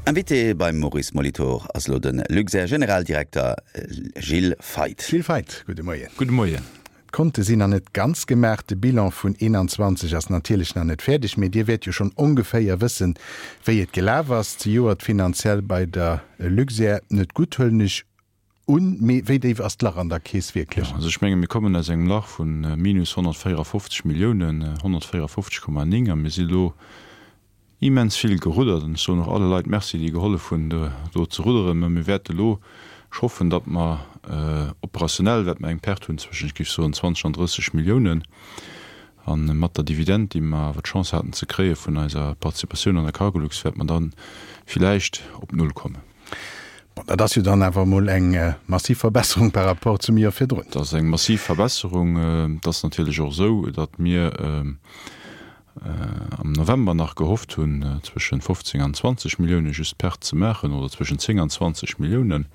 Invité beim Maurice Molitor ass elo de Luxair-Generaldirekter Gilles Feith. Gilles Feith, gudde Moien. Gudde Moien. D'Konte sinn nach net ganz gemaach, de Bilan vun 21 ass natierlech nach net fäerdeg, mee Dir wäert jo schonn ongeféier wëssen, wéi et gelaf ass. Zejoert finanziell bei der Luxair net gutt, huelen ech un, mee wéi déif ass d'Lach an der Keess wierklech? Jo, also ech menge mir kommen aus engem Lach vu minus 154 Milliounen, 154,9, a mir si lo immens vill geruddert an ech soen och alle Leit Merci, déi gehollef hunn do ze rudderen. Mä mir wäerte lo, ech hoffen, datt mer operationell wäerte mer eng Perte hunn zwëschen, ech géif soen, 20 an 30 Milliounen. A mat der Dividend, déi mer awer d'Chance haten ze kréie vun eiser Participatioun an der Cargolux, wäerte mer da villäicht op Null kommen. Bon, dat ass jo dann awer emol eng massiv Verbesserung par rapport zum Joer virdrun. Dat ass eng massiv Verbesserung. Et ass natierlech och esou, datt mir, am November nach gehofft hunn, zwëschen 15 an 20 Millioune just Perte ze maachen, oder zwëschen 10 an 20 Milliounen.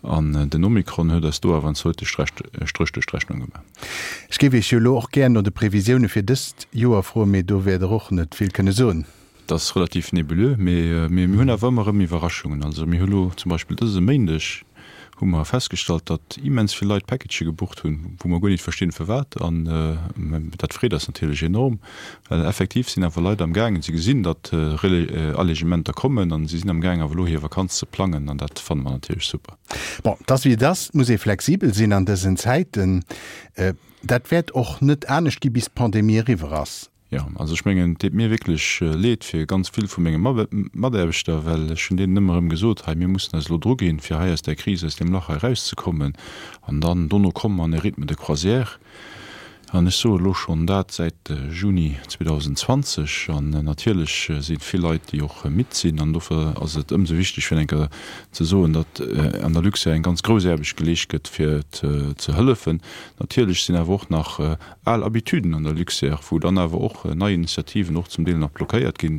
An den Omikron huet eis do awer en zweete Stréch duerch d'Rechnung gemaach. Ech géif Iech jo elo och gär no de Previsioune fir dëst Joer froen, mee do wäert Der och net vill kënne soen. Et ass relativ nebuleux, mee mir hunn awer ëmmer erëm Iwwerraschungen. Also mir hu lo zum Beispill dëse Méindeg hu mer festgestallt, datt immens vill Leit Packagë gebucht hunn, wou mer guer nit verstinn firwat. An dat freet eis natierlech enorm, well effektiv sinn awer Leit am gaangen, si gesinn, datt Allegementer kommen an si sinn am gaangen awer elo hir Vakanz ze plangen an dat fanne mer natierlech super. Bon, et ass wéi et ass, et muss ee flexibel sinn an dësen Zäiten. Dat wäert och net anescht gi bis d'Pandemie eriwwer ass. Jo, also ech mengen, et deet mir wierklech leed fir ganz vill vu menge Mataarbechter, well ech hunn deenen ëmmer erëm gesot, hei mir mussen eis elo druginn, fir hei aus där Kris, aus deem Lach hei erauszekommen an dann dono komme mer an e Rythme de croisière. An ech soe elo schonn dat säit Juni 2020 an natierlech si vill Leit, déi och midd sinn an dofir ass et ëmsou wichteg fir eng Kéier ze soen, datt an der Luxair eng ganz grouss Aarbecht geleescht gëtt fir ze hëllefen. Natierlech sinn awer och nach Al Habituden an der Luxair, wou dann awer och nei Initiativen och zum Deel nach blockéiert gi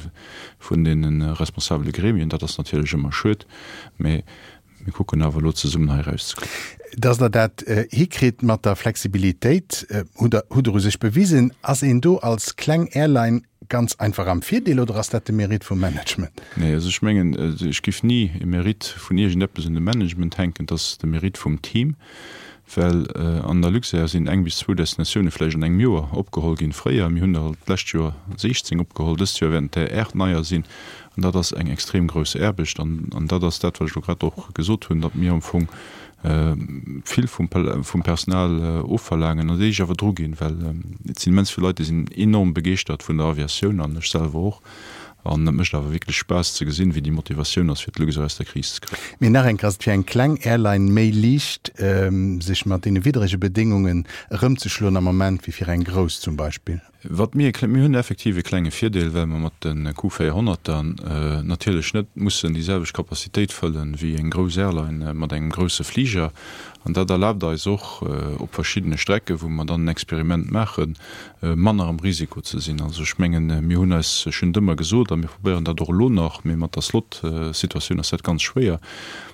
vun deene responsabele Gremien. Dat ass natierlech ëmmer schued, mä mir kucken awer elo zesummen hei erauszekommen. Dass Der dat hikritt mat der Flexibilitéit, hutt Der hutt Der u sech bewisen. Ass een do als kleng Airline ganz einfach am Virdeel oder ass dat de Mérite vum Management? Nee, also ech mengen, ech géif ni e Mérite vun iergendeppes un de Management hänken. Et ass de Mérite vum Team. Well an der Luxair sinn eng bis zwou Destinatioune vläicht an engem Joer opgeholl ginn. Fréier, mir hunn der d'lescht Joer 16 opgeholl, dëst Joer wäerten et der 8 neier sinn. An dat ass eng extrem grouss Aarbecht. An dat ass dat, wat ech elo grad och gesot hunn, datt mir am Fong vill vum Personal ofverlaangen an déi sech awer druginn, well et sinn immens vill Leit, déi sinn enorm begeeschtert vun der Aviatioun an ech selwer och. An et mécht awer wierklech Spaass ze gesinn, wéi déi Motivatioun ass, fir d'Luxair aus der Kris ze kréien. Mee nach eng Kéier, ass et fir eng kleng Airline méi liicht, sech mat deene widdrege Bedéngungen erëmzeschloen am Moment, wéi fir eng grouss zum Beispill? Wat mir, mir hunn effektiv e klenge Virdeel, well mer mat de Q400er natierlech net mussen déi selwecht Capacitéit fëllen, wéi eng grouss Airline mat engem grousse Fliger. An dat erlaabt eis och, op verschiddene Strecken, wou mer dann en Experiment maachen, manner am Risiko ze sinn. Also ech mengen, mir hunn eis, ech hunn et ëmmer gesot a mir probéieren dat och elo nach, mee mat der Slot-Situatioun ass dat ganz schwéier,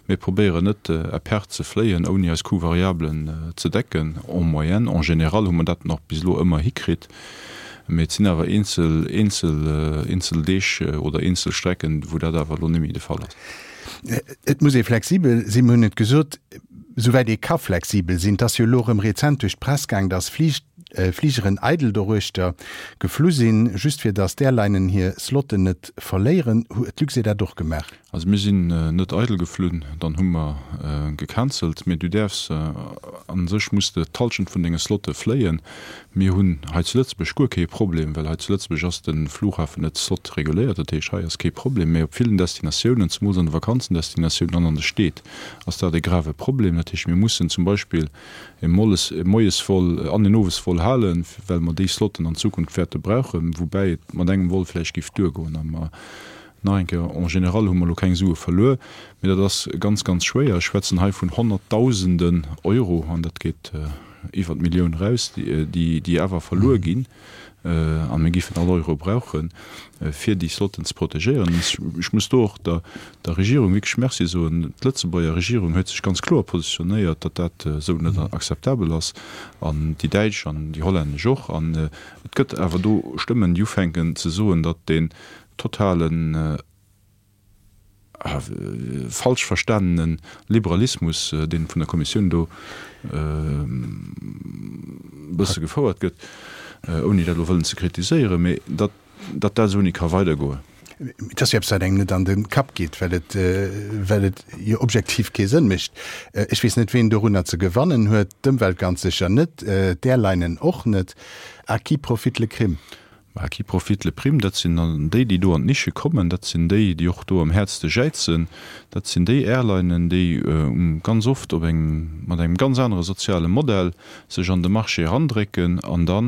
mir probéieren net à perte ze fléien, ouni eis Coûts variablen ze decken, en moyenne. En général hu mer dat nach bis elo ëmmer hikritt, mee et sinn awer eenzel, eenzel, eenzel Deeg oder eenzel Strecken, wou dat awer elo net méi de Fall ass. Et muss ee flexibel sinn, mir hunn et gesot, souwäit ee ka flexibel sinn. Et ass jo elo erëm rezent duerch d'Press gaang, dass Flig, Fligeren eidel doruechter geflu sinn, just fir dass d'Airlinen hir Slotten net verléieren. Huet d'Luxair dat och gemaach? Also mir sinn net eidel geflunn, dann hu mer gecancelt. Mee du däerfs, a sech muss de d'Halschent vun denge Slotte fléien. Mir hunn hei zu Lëtzebuerg guer kee Problem, well hei zu Lëtzebuerg ass de Flughafen net slot-reguléiert. Dat heescht, hei ass kee Problem. Mee op villen Destinatiounen, zemools an de Vakanzendestinatiounen an an de Steed, ass dat e grave Problem. Dat heescht, mir mussen zum Beispill e Molles, e Moiesvol an en Owesvol halen, well mer déi Slotten an Zukunft wäerte brauchen, woubäi et mat engem Vol vläicht géif duergoen. A mer, nach eng Kéier, en général hu mer elo keng Sue verluer, mee dat ass ganz, ganz schwéier. Ech schwätzen hei vun Honnertdausenden Euro, an dat geet iwwer d'Millioun eraus, déi, déi awer verluer ginn. A mir géifen all Euro brauchen, fir déi Slotten ze protegéieren. Ech muss do och der Regierung wierklech Merci soen. D'Lëtzebuerger Regierung huet sech ganz kloer positionéiert, datt dat esou net akzeptabel ass, an déi däitsch an déi hollännesch och. An et gëtt awer do Stëmmen, déi ufänken ze soen, datt deen totalen. falsch verstanene Liberalismus, dee vun der Kommissioun do e bësse gefouert gëtt, ouni dat elo wëllen ze kritiséieren, mee datt dat esou ni ka weidergoen. Et ass jo eppes, wat engem net an de Kapp geet, well et, well et jo objektiv kee Sënn mécht. Ech weess net, ween dorunner ze gewannen huet. D'Ëmwelt ganz sécher net, d'Airlinen och net. À qui profite le crime? À qui profite le prime? Dat sinn dann déi, déi do an d'Nische kommen. Dat sinn déi, déi och do am häertste jäizen. Dat sinn déi Airlinen, déi ganz oft op engem, mat engem ganz anere soziale Modell sech an de Marché erandrécken an da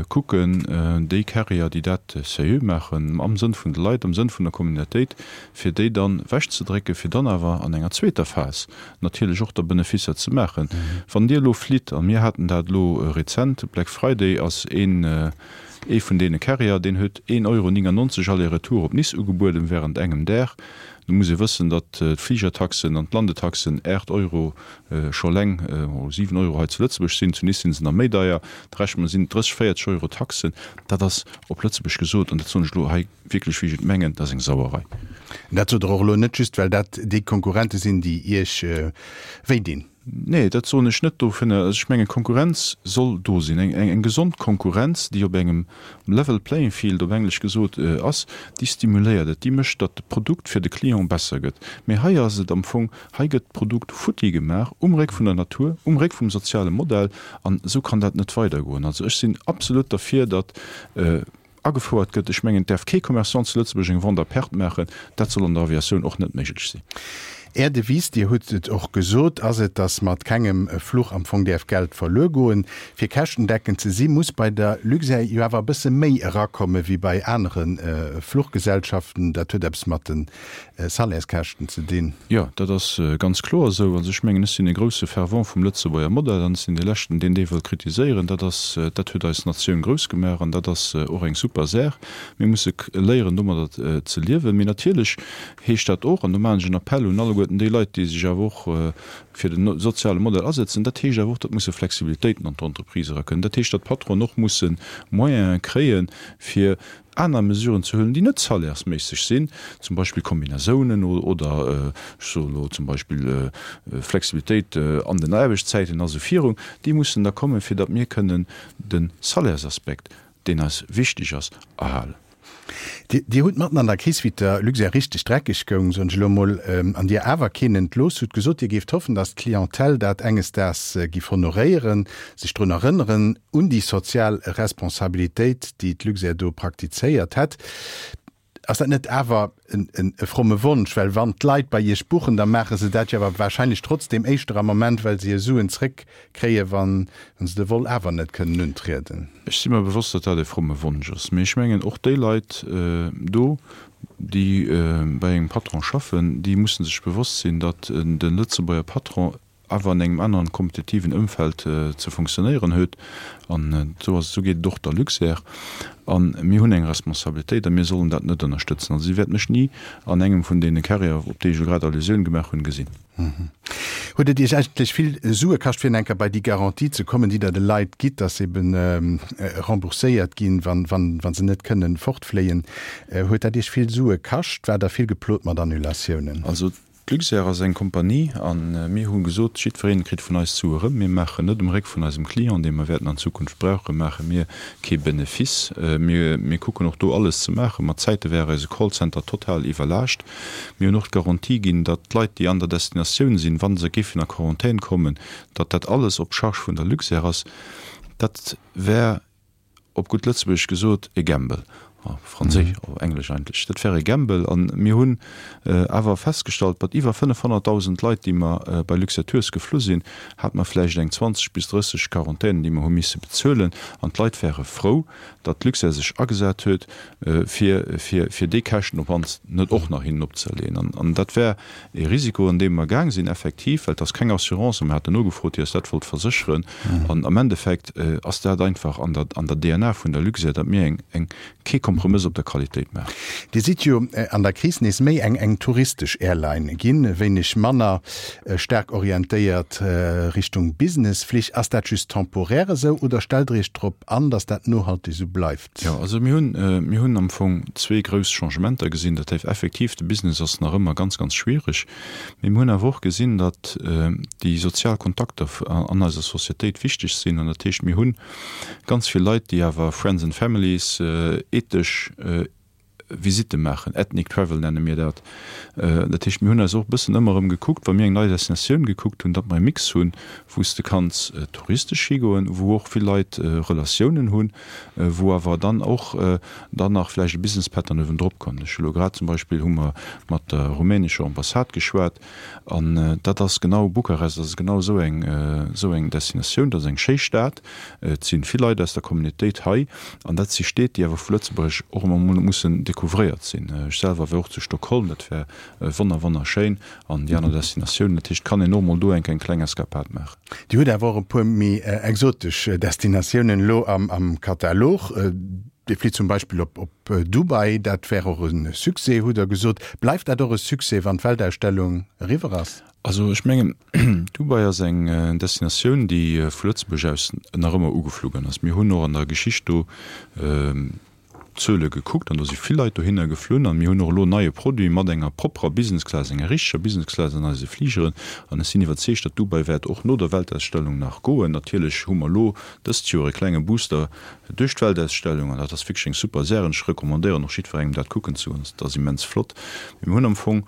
kucken, déi Carrier, déi dat seriö maachen, am Sënn vun de Leit, am Sënn vun der Communautéit, fir déi dann ewechzedrécken, fir dann awer an enger zweeter Phas natierlech och da Benefisser ze maachen. Wann Dir elo flitt, a mir haten dat elo rezent, Black Friday ass een ee vun deene Carrier, deen huet een Euro 99 Aller-retour op Nice ugebueden während engem Dag. Do muss ee wëssen, datt d'Fligertaxen an d'Landetaxen 8 Euro scho eleng, 7 Euro hei zu Lëtzebuerg sinn, zu Nice si se nach méi deier, da rechent mer sinn 30, 40 Euro Taxen. Dat ass op Lëtzebuerg gesot, an dat soen ech elo hei wierklech wéi ech et mengen, dat ass eng Sauerei. Dat sot Der och elo net just, well dat déi Konkurrente sinn, déi Iech wéi dinn. Nee, dat soen ech net dovunner. Also ech mengen, Konkurrenz soll do sinn. Eng, eng gesond Konkurrenz, déi op engem level playing field, op Englesch gesot, ass, déi stimuléiert et, déi mécht, datt de Produkt fir de Client besser gëtt. Mee hei ass et am Fong, hei gëtt d'Produkt futti gemaach um Réck vun der Natur, um Réck vum soziale Modell, an esou kann dat net weidergoen. Also ech sinn absolut derfir, datt, Agefouert gëtt. Ech mengen, et däerf kee Commerçant zu Lëtzebuerg eng Vente à perte maachen. Dat soll an der Aviatioun och net méiglech sinn. Är Devise, Dir hutt et och gesot, ass et, datt mat kengem Fluch am Fong däerf Geld verluer goen. Fir käschtendeckend ze si muss bei der Luxair jo awer e bësse méi erakomme wéi bei anere Fluchgesellschaften. Dat huet eppes mat de Salaires-Käschten ze dinn. Jo, dat ass ganz kloer esou. Also ech mengen, ech sinn e grousse Fervent vum Lëtzebuerger Modell an ech sinn dee Leschten, deen dee wëll kritiséieren. Dat ass, dat huet eis Natioun grouss gemaach an dat ass och eng super Saach. Mir musse léieren, domadder ze liewen. Mee natierlech heescht dat och, an do maachen ech en Appell un alleguerten déi Leit, déi sech awer och fir de soziale Modell asetzen, dat heescht awer och, datt musse Flexibilitéiten an d'Entreprise erakënnen. Dat heescht, datt d'Patronen och musse Moyene kréien, fir aner Mesuren ze huelen, déi net salairesméisseg sinn, zum Beispill Kombinasounen oder, ech soe elo zum Beispill, Flexibilitéit an den Aarbechtszäiten a sou virun, déi mussen da kommen, fir datt mir kënnen de Salairsaspekt, deen eis wichteg ass, erhalen. Dir hutt matten an der Kris, wéi et der Luxair richteg dreckeg goung, soen ech elo emol, an Dir awer keen entlooss hutt, gesot, Dir géift hoffen, datt d'Clientèle dat enges Daags giff honoréieren, sech drun erënneren, un déi sozial Responsabilitéit, déi d'Luxair do praktizéiert hätt. Ass dat net awer e fromme Wonsch? Well wann d'Leit bei Iech buchen, da maache se dat jo awer wahrscheinlech trotzdeem éischter am Moment, well se hir Suen zréckkréien, wa se de Vol awer net kënnen untrieden. Ech si mer bewosst, datt dat e fromme Wonsch ass. Mee ech mengen, och déi Leit do, déi bei engem Patron schaffen, déi musse sech bewosst sinn, datt de Lëtzebuerger Patron awer an engem aneren kompetitiven Ëmfeld ze funktionéieren huet. An esou ass, esou geet et och der Luxair. A mir hunn eng Responsabilitéit a mir sollen dat net ënnerstëtzen. Also Dir wäert mech ni an engem vun deene Carrieren, op déi ech elo grad Allusioun gemaach hunn, gesinn. Huet et Iech eigentlech vill Sue kascht, fir enker bei déi Garantie ze kommen, déi Der de Leit gitt, dass se eben rembourséiert ginn, wa se net kënnen fortfléien? Huet dat Iech vill Sue kascht? Waart Der vill geplot mat Annulatiounen? Also D'Luxair ass eng Kompanie a mir hu gesot, jiddweree kritt vun eis d'Sue erëm. Mir maachen net um Réck vun eisem Client, dee mer wäerten an Zukunft brauchen, maache mir kee Benefice. Mir kucken och do alles ze maachen. Mat Zäite war eise Callcenter total iwwerlaascht. Mir hunn och d'Garantie ginn, datt d'Leit, déi an der Destinatioun sinn, wa se géifen a Quarantän kommen, datt dat alles op Charge vun der Luxair ass. Dat wär op gutt Lëtzebuergesch gesot, e Gamble, op Franséisch, op Englesch eigentlech, dat wär e Gamble. A mir hunn awer festgestallt, mat iwwer 500.000 Leit, déi mer bei Luxair Tours geflu sinn, hate mer vläicht eng 20 bis 30 Quarantänen, déi mer hu misse bezuelen. An d'Leit ware frou, datt d'Luxair sech agesat huet, fir, fir, fir déi Käschten op mannst net och nach hinnen opzëerleeën. An dat wär e Risiko, an dee mer gaang sinn, effektiv, well et ass keng Assurance, a mer haten nogefrot, déi eis dat wollt versécheren. An am Endeffekt ass dat einfach an der, an der DNA vun der Luxair, datt mir eng, eng, kee. Kompromëss op der Qualitéit maachen. Dir sidd jo an der Kris nees méi eng eng touristesch Airline ginn, e wéineg manner staark orientéiert Richtung Businessflich. Ass dat just temporär esou oder stellt Der Iech drop an, datt dat nohalteg esou bleift? Jo, also mir hunn, mir hunn am Fong zwee grouss Changementer gesinn. Dat heescht effektiv, de Business ass nach ëmmer ganz, ganz schwiereg. Mee mir hunn awer och gesinn, datt déi sozial Kontakter an eiser Societéit wichteg sinn. An dat heescht, mir hunn ganz vill Leit, déi awer Friends and Families, ethesch Visitte maachen, Ethnic Travel nenne mir dat. Dat heescht, mir hunn eis och e bëssen ëmmer erëm gekuckt, wa mir eng nei Destinatioun gekuckt hunn, datt mer e Mix hunn, wou s de kanns touristesch higoen, wou och vill Leit Relatiounen hunn, wou awer dann och dann nach vläicht e Business Pattern uewendrop kommt. Ech hu lo grad zum Beispill hu mer mat der rumänescher Ambassade geschwat an dat ass genau, Bukarest ass genau esou eng, esou eng Destinatioun, dat ass eng schéi Stad, Et si vill Leit aus der Communautéit hei an dat si Stied, déi awer vu Lëtzebuerg och ëmmer emol mussen découvréiert sinn. Ech selwer war och zu Stockholm, dat war wonner wonnerschéin an déi aner Destinatiounen. Dat heescht, et kann een och emol do eng eng kleng Escapade maachen. Dir hutt awer och e puer méi exotesch Destinatiounen elo am Katalog. Dir flitt zum Beispill op Dubai, dat wär och e Succès, hutt Der gesot. Bleift dat och e Succès, wann d'Weltausstellung eriwwer ass? Also ech mengen, Dubai ass eng Destinatioun, déi vu Lëtzebuerg aus nach ëmmer ugeflu ginn ass. Mir hunn och an der Geschicht do d'Zuele gekuckt an do si vill Leit dohinner geflunn. An mir hunn och elo en neie Produit mat enger propperer Business Class, enger richteger Business Class an eise Fligeren. An ech sinn iwwerzeegt, datt Dubai wäert och no der Weltausstellung nach goen. Natierlech hu mer elo dëst Joer e klenge Booster duerch d'Weltausstellung an dat ass wierklech eng super Saach. An ech recommandéieren och jiddwerengem dat kucken ze goen. Dat ass immens flott. Mee mir hunn am Fong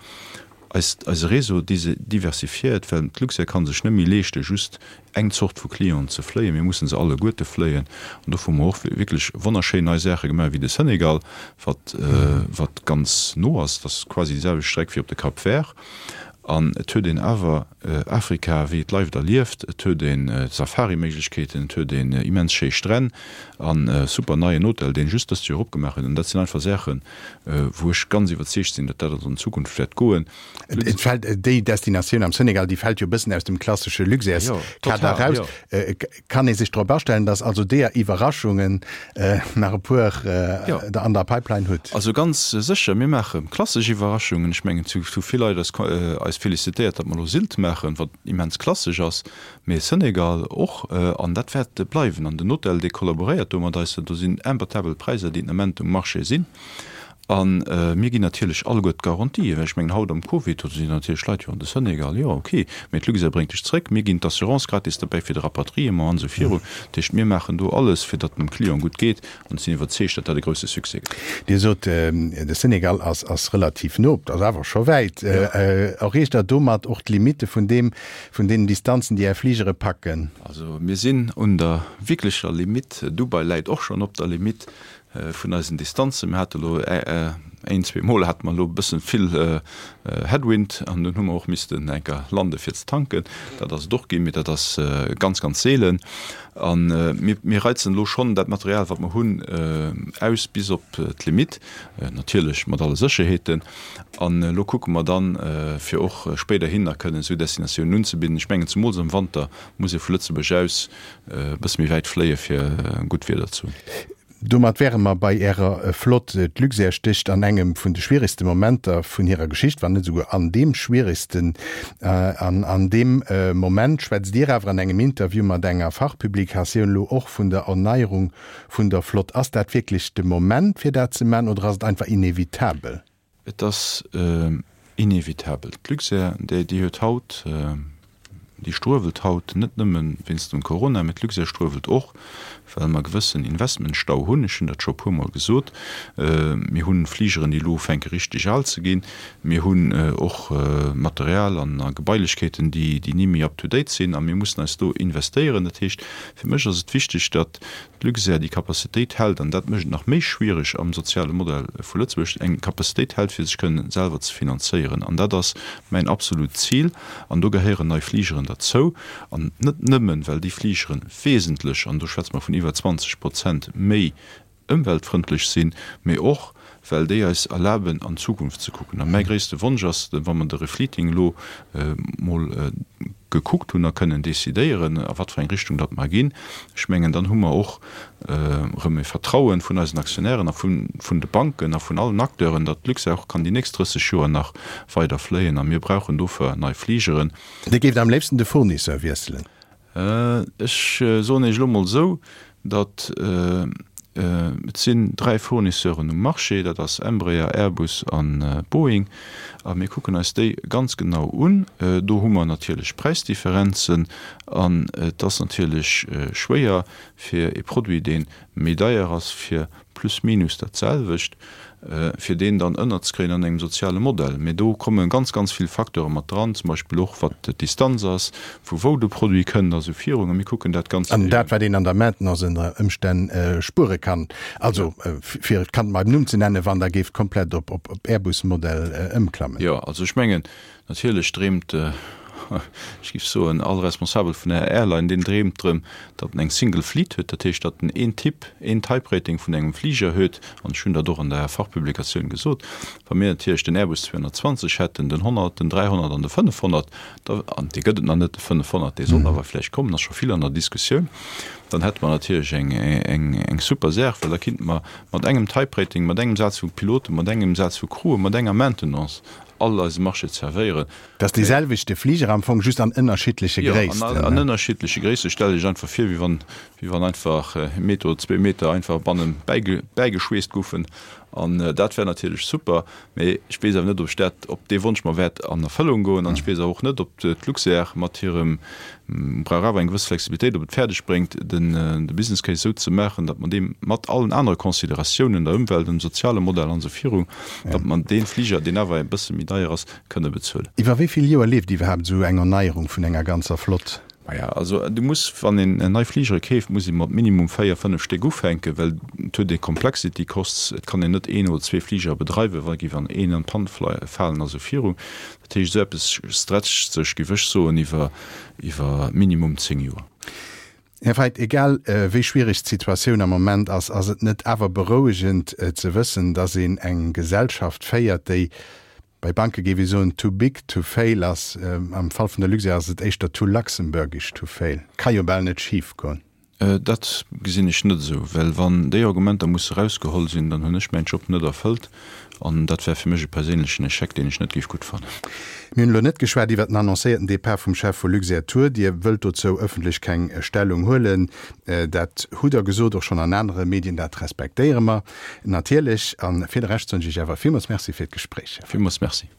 Eist, eise Réseau diversifiéiert, well d'Luxair ka sech net méi leeschte just eng Zort vu Clienten ze fléien. Mir mussen se alleguerte fléien. An dofir hu mer och wierklech wonnerschéin nei Saache gemaach, wéi de Senegal, wat, wat ganz no ass. Dat ass quasi déi selwecht Streck wéi op de Cap Vert. An et huet een awer Afrika wéi et leift erlieft. Et huet een Safari-Méiglechkeeten, et huet een immens schéi Stränn an e super neien Hotel, deen just dëst Joer opgemaach huet. An dat sinn einfach Saachen, wou ech ganz iwwerzeegt sinn, datt dat an Zukunft wäert goen. Et fält, déi Destinatioun am Senegal, déi fält jo e bëssen aus dem klassesche Luxairs-Kader eraus. Kann ee sech drop astellen, datt also deeër Iwwerraschungen nach e puer Der an der Pipeline hutt? Also ganz sécher, mir maache klassesch Iwwerraschungen. Ech mengen, et hu vill Leit eis felicitéiert, datt mer elo Sylt maachen, wat immens klassesch ass. Mee Senegal och, an dat wäert bleiwen. An den Hotel, dee kollaboréiert do mat eis. Do sinn imbattabel Präisser, déi den Ament um Marché sinn. A mir ginn natierlech alleguer d'Garantien, well ech mengen, haut am Covid, do sinn natierlech Leit, jo, an de Senegal, jo, okay, mee d'Luxair bréngt dech zréck, mir ginn d'Assurance gratis derbäi fir de Rapatriement an esou virun. Dat heescht, mir maachen do alles, fir datt dem Client gutt geet. An ech sinn iwwerzeegt, datt dat e grousse Succès gëtt. Dir sot, de Senegal ass relativ no, dat ass awer scho wäit. Erreecht Der domat och d'Limitte vun deem, Vun deenen Distanzen, déi Är Fligere packen? Also mir sinn un der wierklecher Limitt. Dubai läit och schonn op der Limitt vun eisen Distanzen. Mir hate elo een, zweemol hate mer elo e bëssen vill Headwind an dunn hu mer och missten eng Kéier lande fir ze tanken. Dat ass et och ginn, mee dat ass ganz, ganz seelen. A mir, mir reizen elo schonn dat Material, wat mer hunn, aus bis op d'Limitt, natierlech mat alle Sécherheeten. An elo kucke mer dann, fir och spéiderhin nach kënnen esou Destinatiounen unzebidden. Ech mengen, zemools am Wanter muss ee vu Lëtzebuerg aus e bësse méi wäit fléie fir gutt Wieder ze hunn. Domat wäre mer bei Ärer Flott. D'Luxair stécht an engem vun de schwieregste Momenter vun hirer Geschicht, wann net esouguer an deem schwieregsten. An an deem Moment schwätzt Dir awer an engem Interview mat enger Fachpublikatioun elo och vun der Erneierung vun der Flott. Ass dat wierklech de Moment, fir dat ze maachen, oder ass et einfach inevitabel? Et ass inevitabel. D'Luxair, déi huet haut, déi struewelt haut net nëmme wéinst dem Corona, mä d'Luxair struewelt och, well mer e gewëssen Investmentstau hunn. Ech hunn dat scho e puermol gesot. Mir hu Fligeren, déi elo ufänke richteg al ze ginn. Mir hunn och Material an a Gebailechkeeten, déi ni méi up to date sinn. A mir mussen eis do investéieren. Dat heescht, fir mech ass et wichteg, datt d'Luxair déi Capacitéit hält, an dat mécht et nach méi schwierig am soziale Modell vu Lëtzebuerg, eng Capacitéit hält, fir sech kënnen selwer ze finanzéieren. An dat ass mäin absolut Zil. An do gehéieren nei Fligeren derzou. An net nëmmen, well déi Fligere wesentlech, an do schwätze mer vun iwwer 20 Prozent méi ëmweltfrëndlech sinn, mee och, well déi eis erlaben, an d'Zukunft ze kucken. A mäi gréisste Wonsch ass, wa mer de Refleeting elo mol. gekuckt hunn a kënnen decidéieren, a wat fir eng Richtung datt mer ginn, ech mengen, dann hu mer och erëm e Vertrauen vun eisen Aktionären a vun de Banken a vun allen Acteuren, datt d'Luxair och kann déi nächst 30 Joer nach weider fléien. A mir brauchen dofir nei Fligeren. Dir géift am léifsten de Fournisseur wiesselen? Ech soen Iech elo mol esou, datt et sinn 3 Fournisseuren um Marché, dat ass Embraer, Airbus a Boeing, a mir kucken eis déi ganz genau un. Do hu mer natierlech Präisdifferenzen an et ass natierlech schwéier fir e Produit, dee méi deier ass, fir plus minus dat selwecht, fir deen dann ënnerzekréien an engem soziale Modell. Mee do komme ganz, ganz vill Facteure mat dran, zum Beispill och wat d'Distanz ass, vu wou de Produit kënnt a sou virun. A mir kucken dat ganz. An dat, wat een an der Maintenance ënner Ëmstänn spuere kann, also fir et Kand beim Numm ze nennen, wann Der géift komplett op Airbus-Modell ëmklammen. Jo, also ech mengen, Natierlech dreemt, ech géif soen, all Responsabel vun enger Airline, deen dreemt drëm, datt en eng Single Fleet huet, dat heescht, datt en een Typ, een Type Rating vun engem Fliger huet. An ech hunn dat och an der Fachpublikatioun gesot, wa mir natierlech den Airbus 220 hätten, den 100, den 300 an de 500, da, an dee gëtt et nach net, de 500, dee soll awer vläicht kommen, ass scho vill an der Diskussioun, dann hätte mer natierlech eng, eng, eng super Saach, well da kinnte mer mat engem Type Rating, mat engem Saz vu Piloten, mat engem Saz vu Crewen, mat enger Maintenance all eise Marché zerwéieren. Dat ass dee selwechte Fliger am Fong, just an ënnerschiddleche Gréissten. Jo, an ënnerschiddleche Gréissten. Stellt Iech einfach vir, wéi wann, wéi wann einfach e Meter oder zwee Meter einfach bannen bäigeschweesst goufen. An dat wär natierlech super. Mee ech weess awer net, ob ech dat, ob dee Wonsch mer wäert an Erfëllung goen. An ech weess awer och net, ob d'Luxair mat hirem, brauch awer eng gewëss Flexibilitéit, ob et fäerdeg bréngt, den de Business Case esou ze maachen, datt mer dee mat allen anere Consideratiounen, der Ëmwelt, dem soziale Modell an esou viru, datt mer dee Fliger, deen awer e bësse méi deier ass, kënne bezuelen. Iwwer wéi vill Joer leeft iwwerhaapt esou eng Erneierung vun enger ganzer Flott? Maja, also du muss, wann een nei Fligere keeft, muss ee mat minimum véier, fënnef Stéck ufänken, well et huet ee Complexity costs, et kann een net een oder zwee Fligere bedreiwen, wa géif an een an d'Pann falen a sou viru. Dat heescht, esou eppes stretcht sech, géif ech soen, iwwer iwwer minimum 10 Joer. Här Feith, egal wéi schwiereg d'Situatioun am Moment ass, ass et net awer berouegend ze wëssen, datt een eng Gesellschaft féiert, déi, bei Banke géif ee soen, too big to fail ass? Am Fall vun der Luxair ass et éischter too luxembourgish to fail. Ka jo bal net schif goen. Dat gesinn ech net esou, well wann déi Argumenter musse erausgeholl sinn, dann hunn ech mäin Job net erfëllt an dat wär fir mech e perséinlechen Echec, deen ech net géif gutt fannen. Mir hunn elo net geschwat iwwert den annoncéierten Depart vum Chef vu Luxair Tour. Dir wëllt dozou ëffentlech keng Stellung huelen. Dat hutt Der gesot, och schonn an anere Medien. Dat respektéiere mer natierlech. A fir de Rescht soen ech Iech awer villmools Merci fir d'Gespréich. Villmools Merci.